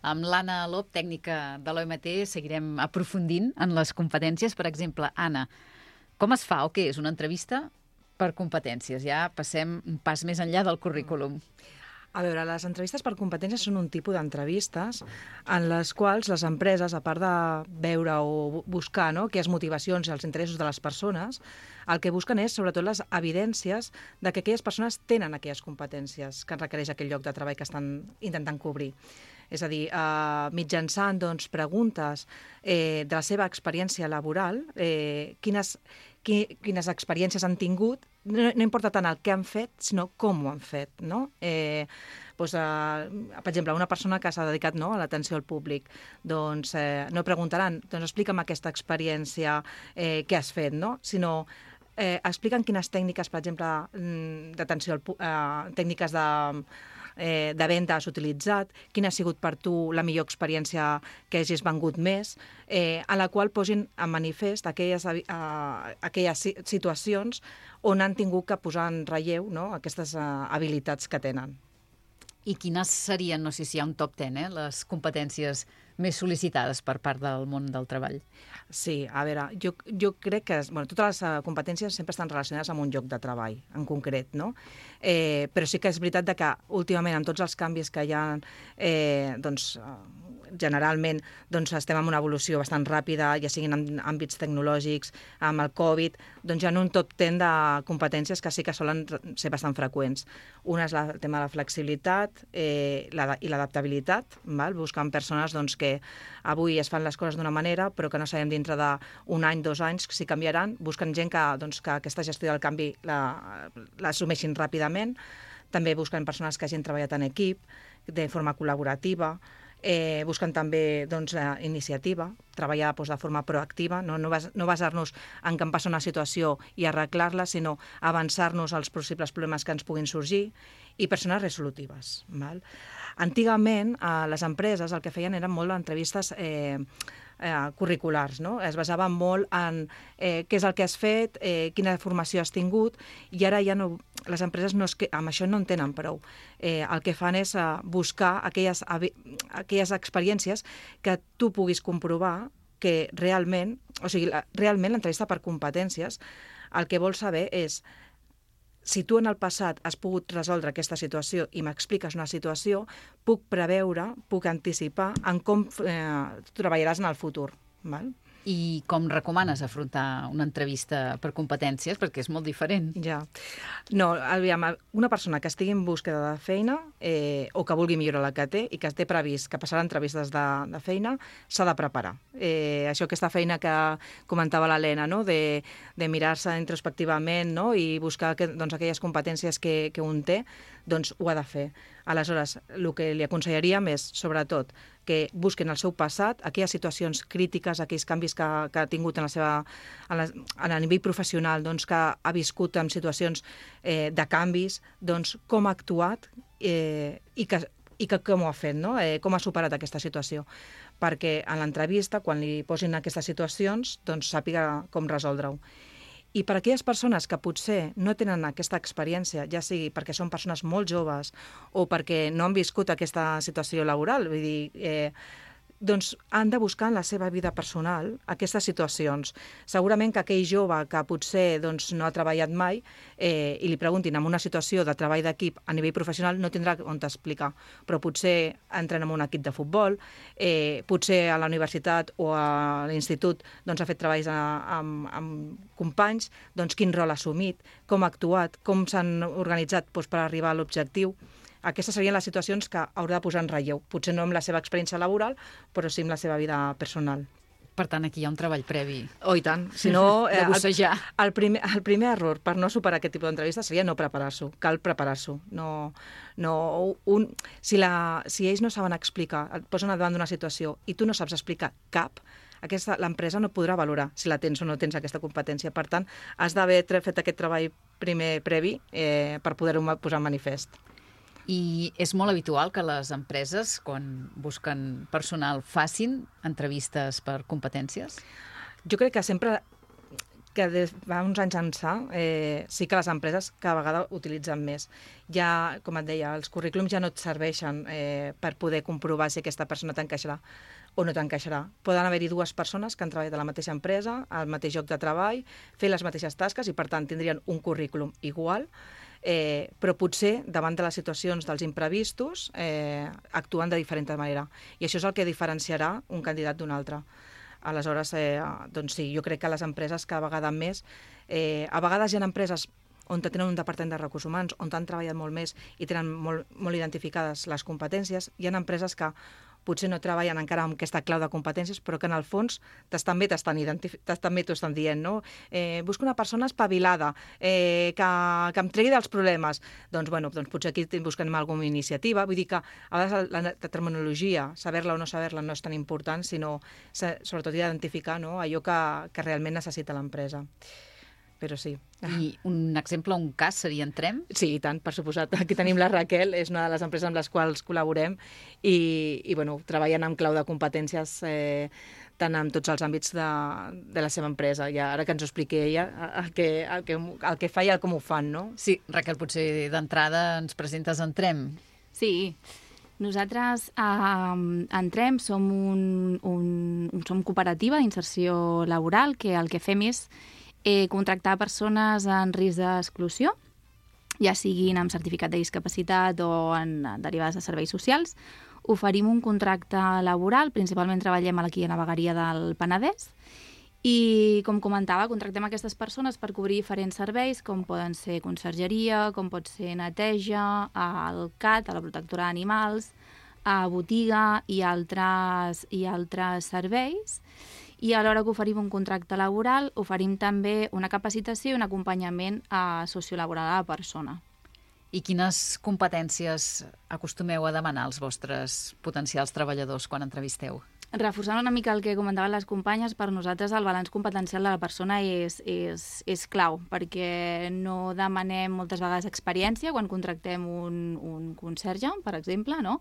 Amb l'Anna Lop, tècnica de l'OMT, seguirem aprofundint en les competències. Per exemple, Anna, com es fa o què és una entrevista per competències? Ja passem un pas més enllà del currículum. A veure, les entrevistes per competències són un tipus d'entrevistes en les quals les empreses, a part de veure o buscar aquelles motivacions i els interessos de les persones, el que busquen és, sobretot, les evidències de que aquelles persones tenen aquelles competències que requereix aquell lloc de treball que estan intentant cobrir. És a dir, mitjançant preguntes de la seva experiència laboral, quines experiències han tingut, no importa tant el que han fet, sinó com ho han fet, no? Per exemple, una persona que s'ha dedicat a l'atenció al públic, no preguntaran, explica'm aquesta experiència que has fet, no? Sinó expliquen quines tècniques, per exemple, d'atenció tècniques de venda has utilitzat, quina ha sigut per tu la millor experiència que hagis vengut més, en la qual posin en manifest aquelles situacions on han tingut que posar en relleu aquestes habilitats que tenen. I quines serien, no sé si hi ha un top 10, les competències més sol·licitades per part del món del treball? Sí, a veure, jo crec que totes les competències sempre estan relacionades amb un lloc de treball, en concret, no? Però sí que és veritat que últimament, amb tots els canvis que hi ha, generalment estem en una evolució bastant ràpida, ja siguin en àmbits tecnològics, amb el Covid, hi ha un top 10 de competències que sí que solen ser bastant freqüents. Una és el tema de la flexibilitat i l'adaptabilitat, buscant persones que avui es fan les coses d'una manera, però que no sabem dintre d'un any, 2 anys, si canviaran. Busquen gent que aquesta gestió del canvi l'assumeixin ràpidament. També busquen persones que hagin treballat en equip, de forma col·laborativa. busquen també iniciativa, treballar de forma proactiva, no basar-nos en que em passa una situació i arreglar-la, sinó avançar-nos als possibles problemes que ens puguin sorgir, i persones resolutives. Val? Antigament, les empreses el que feien eren molt d'entrevistes curriculars, no? Es basaven molt en què és el que has fet, quina formació has tingut, i ara ja no, les empreses amb això no en tenen prou. El que fan és buscar aquelles experiències que tu puguis comprovar que realment, realment l'entrevista per competències el que vol saber és si tu en el passat has pogut resoldre aquesta situació i m'expliques una situació, puc preveure, puc anticipar en com treballaràs en el futur. Val? I com recomanes afrontar una entrevista per competències? Perquè és molt diferent. Ja. No, aviam, una persona que estigui en búsqueda de feina o que vulgui millorar la que té i que té previst que passarà entrevistes de feina, s'ha de preparar. Aquesta feina que comentava l'Helena, no? de mirar-se introspectivament, no? I buscar aquelles competències que un té, doncs ho ha de fer. Aleshores, el que li aconsellaríem és, sobretot, que busquen el seu passat, aquelles situacions crítiques, aquells canvis que ha tingut a nivell professional, que ha viscut en situacions de canvis, com ha actuat i com ho ha fet, no? Com ha superat aquesta situació. Perquè en l'entrevista, quan li posin aquestes situacions, sàpiga com resoldre-ho. I per a aquelles persones que potser no tenen aquesta experiència, ja sigui perquè són persones molt joves o perquè no han viscut aquesta situació laboral, vull dir, han de buscar en la seva vida personal aquestes situacions. Segurament que aquell jove que potser no ha treballat mai i li preguntin en una situació de treball d'equip a nivell professional no tindrà on t'explicar, però potser entren en un equip de futbol, potser a la universitat o a l'institut ha fet treballs amb companys, quin rol ha assumit, com ha actuat, com s'han organitzat per arribar a l'objectiu. Aquestes serien les situacions que haurà de posar en relleu. Potser no amb la seva experiència laboral, però sí amb la seva vida personal. Per tant, aquí hi ha un treball previ. Oh, i tant. Si no, de bussejar. El primer error per no superar aquest tipus d'entrevista seria no preparar-s'ho. Cal preparar-s'ho. Si ells no saben explicar, et posen davant d'una situació i tu no saps explicar cap, l'empresa no podrà valorar si la tens o no tens aquesta competència. Per tant, has d'haver fet aquest treball primer previ per poder-ho posar en manifest. I és molt habitual que les empreses, quan busquen personal, facin entrevistes per competències? Jo crec que sempre, que des fa uns anys ençà, sí que les empreses cada vegada utilitzen més. Ja, com et deia, els currículums ja no et serveixen per poder comprovar si aquesta persona t'encaixarà o no t'encaixarà. Poden haver-hi dues persones que han treballat a la mateixa empresa, al mateix lloc de treball, fer les mateixes tasques i, per tant, tindrien un currículum igual, però potser davant de les situacions dels imprevistos actuen de diferent manera. I això és el que diferenciarà un candidat d'un altre. Aleshores, sí, jo crec que les empreses cada vegada més... A vegades hi ha empreses on tenen un departament de recursos humans, on han treballat molt més i tenen molt identificades les competències. Hi ha empreses que potser no treballen encara amb aquesta clau de competències, però que en el fons també t'ho estan dient, no? Busco una persona espavilada, que em tregui dels problemes. Doncs potser aquí busquem alguna iniciativa. Vull dir que a vegades la terminologia, saber-la o no saber-la, no és tan important, sinó sobretot identificar allò que realment necessita l'empresa. Però sí. I un exemple, un cas, seria Entrem? Sí, i tant, per suposat. Aquí tenim la Raquel, és una de les empreses amb les quals col·laborem i treballen amb clau de competències tant en tots els àmbits de la seva empresa. I ara que ens ho expliqui ella, el que fa i el com ho fan, no? Sí, Raquel, potser d'entrada ens presentes Entrem. Sí, nosaltres a Entrem som som cooperativa d'inserció laboral que el que fem és contractar persones en risc d'exclusió, ja siguin amb certificat de discapacitat o derivades de serveis socials. Oferim un contracte laboral, principalment treballem aquí a la vegueria del Penedès, i, com comentava, contractem aquestes persones per cobrir diferents serveis, com poden ser consergeria, com pot ser neteja, al CAT, a la protectora d'animals, a botiga i altres serveis. I a l'hora que oferim un contracte laboral, oferim també una capacitació i un acompanyament sociolaboral a la persona. I quines competències acostumeu a demanar als vostres potencials treballadors quan entrevisteu? Reforçant una mica el que comentaven les companyes, per nosaltres el balanç competencial de la persona és clau, perquè no demanem moltes vegades experiència quan contractem un conserge, per exemple, no?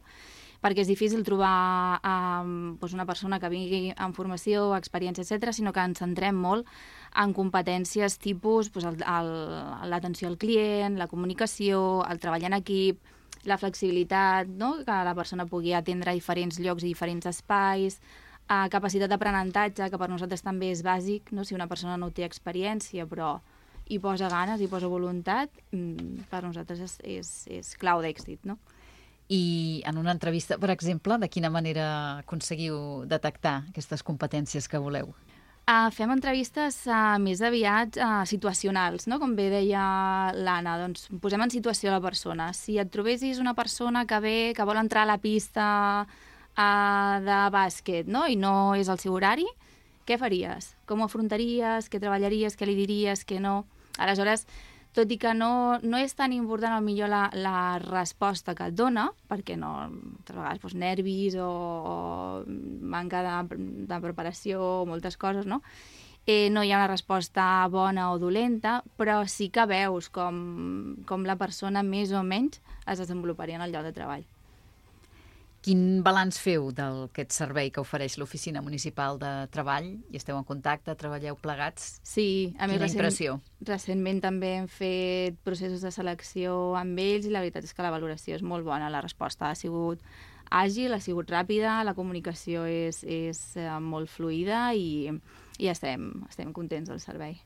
Perquè és difícil trobar una persona que vingui amb formació, experiència, etc., sinó que ens centrem molt en competències tipus l'atenció al client, la comunicació, el treball en equip, la flexibilitat, no? Que la persona pugui atendre diferents llocs i diferents espais, capacitat d'aprenentatge, que per nosaltres també és bàsic, no? Si una persona no té experiència però hi posa ganes, hi posa voluntat, per nosaltres és clau d'èxit, no? I en una entrevista, per exemple, de quina manera aconseguiu detectar aquestes competències que voleu? Fem entrevistes més aviat situacionals, no? Com bé deia l'Anna, doncs posem en situació la persona. Si et trobessis una persona que vol entrar a la pista de bàsquet, no? I no és el seu horari, què faries? Com ho afrontaries? Què treballaries? Què li diries? Què no? Aleshores, tot i que no és tan important potser la resposta que et dona, perquè altres vegades nervis o manca de preparació, moltes coses, no? No hi ha una resposta bona o dolenta, però sí que veus com la persona més o menys es desenvoluparia en el lloc de treball. Quin balanç feu d'aquest servei que ofereix l'Oficina Municipal de Treball? I esteu en contacte, treballeu plegats? Sí, a més, quina impressió? Recentment també hem fet processos de selecció amb ells i la veritat és que la valoració és molt bona. La resposta ha sigut àgil, ha sigut ràpida, la comunicació és molt fluida i estem contents del servei.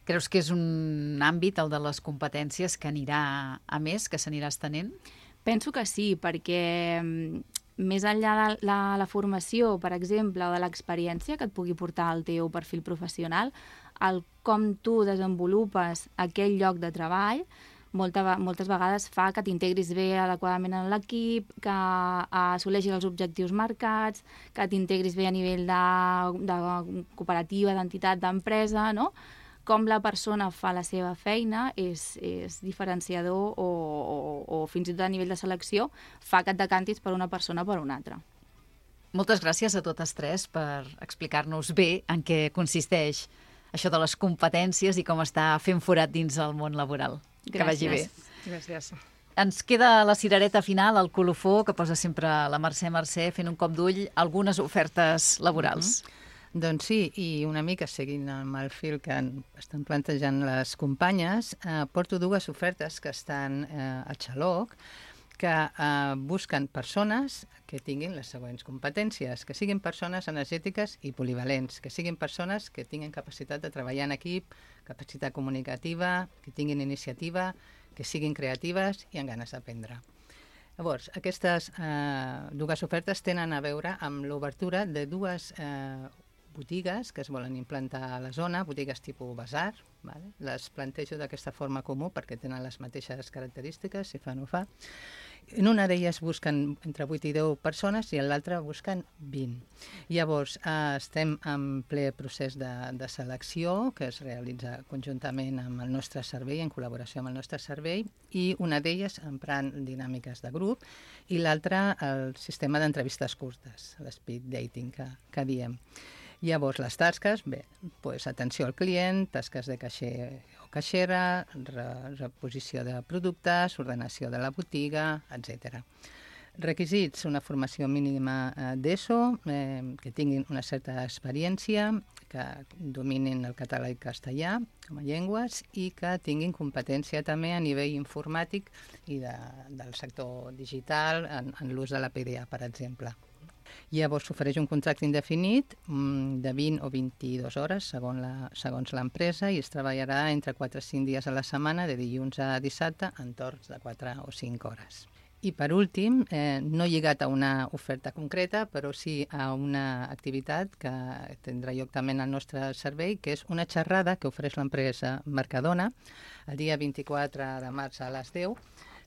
Creus que és un àmbit, el de les competències, que anirà a més, que s'anirà estenent? Penso que sí, perquè més enllà de la formació, per exemple, o de l'experiència que et pugui portar al teu perfil professional, el com tu desenvolupes aquell lloc de treball moltes vegades fa que t'integris bé adequadament en l'equip, que assoleixis els objectius marcats, que t'integris bé a nivell de cooperativa, d'entitat, d'empresa, no? Com la persona fa la seva feina és diferenciador o fins i tot a nivell de selecció fa que et decantis per una persona o per una altra. Moltes gràcies a totes tres per explicar-nos bé en què consisteix això de les competències i com està fent forat dins el món laboral. Gràcies. Que vagi bé. Gràcies. Ens queda la cirereta final, el colofó, que posa sempre la Mercè fent un cop d'ull algunes ofertes laborals. Doncs sí, i una mica seguint amb el fil que estan plantejant les companyes, porto dues ofertes que estan a Xaloc, que busquen persones que tinguin les següents competències, que siguin persones energètiques i polivalents, que siguin persones que tinguin capacitat de treballar en equip, capacitat comunicativa, que tinguin iniciativa, que siguin creatives i amb ganes d'aprendre. Llavors, aquestes dues ofertes tenen a veure amb l'obertura de dues botigues que es volen implantar a la zona, botigues tipus basar, vale? Les plantejo d'aquesta forma comú perquè tenen les mateixes característiques, si fan o fa. En una d'elles busquen entre 8 i 10 persones i en l'altra busquen 20. Llavors, estem en ple procés de selecció que es realitza conjuntament amb el nostre servei, en col·laboració amb el nostre servei, i una d'elles emprant dinàmiques de grup i l'altra el sistema d'entrevistes curtes, l'speed dating que diem. Llavors, les tasques, atenció al client, tasques de caixer o caixera, reposició de productes, ordenació de la botiga, etc. Requisits, una formació mínima d'ESO, que tinguin una certa experiència, que dominin el català i castellà com a llengües i que tinguin competència també a nivell informàtic i del sector digital en l'ús de la PDA, per exemple. Llavors s'ofereix un contracte indefinit de 20 o 22 hores segons l'empresa i es treballarà entre 4 i 5 dies a la setmana, de dilluns a dissabte, en torns de 4 o 5 hores. I per últim, no lligat a una oferta concreta, però sí a una activitat que tindrà lloc també en el nostre servei, que és una xerrada que ofereix l'empresa Mercadona el dia 24 de març a les 10,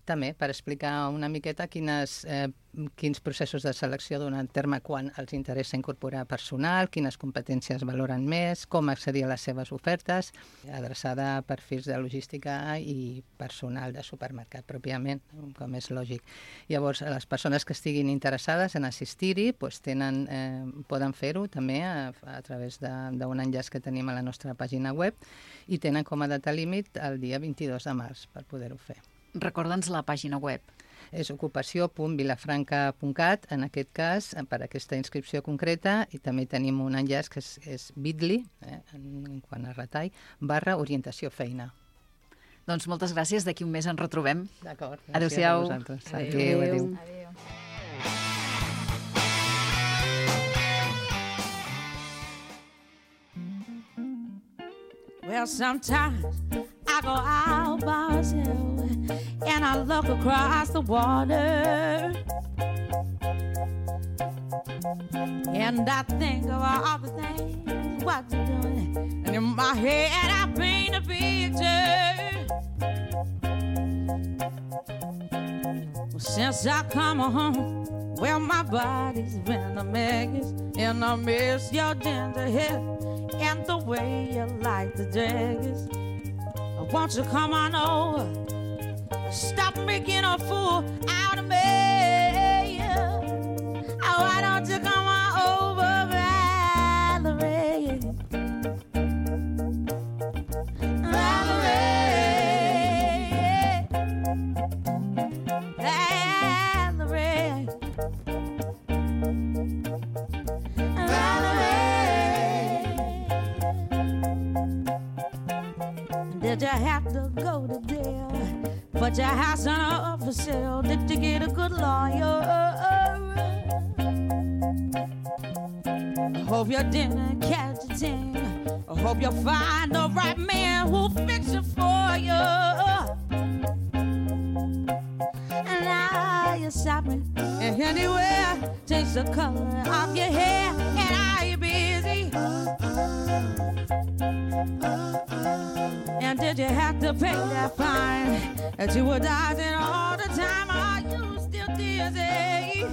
també per explicar una miqueta quins processos de selecció donen terme quan els interessa incorporar personal, quines competències valoren més, com accedir a les seves ofertes, adreçada a perfils de logística i personal de supermercat pròpiament, com és lògic. Llavors, les persones que estiguin interessades en assistir-hi poden fer-ho també a través d'un enllaç que tenim a la nostra pàgina web i tenen com a data límit el dia 22 de març per poder-ho fer. Recorda'ns la pàgina web. És ocupació.vilafranca.cat, en aquest cas, per aquesta inscripció concreta, i també tenim un enllaç que és bit.ly, en quant a retall, /orientació feina. Doncs moltes gràcies, d'aquí un mes ens retrobem. D'acord, gràcies Adéu-siau. a vosaltres. Adéu. Well, sometimes I go out by myself and I look across the water and I think of all the things what you're doing, and in my head I paint a picture. Well, since I come home, well, my body's been a mess, and I miss your ginger hair and the way you like the dress. Won't you come on over? Stop making a fool out of me. Oh, why don't you come on over, Valerie? Valerie, Valerie, Did you have to go to jail? Put your house on up for sale? Did you get a good lawyer? I hope you didn't catch a thing. I hope you find the right man who'll fix it for you. And now you're shopping and anywhere, change the color of your hair. And are you busy? And did you have to pay that fine that you were dodging all the time? Are you still dizzy?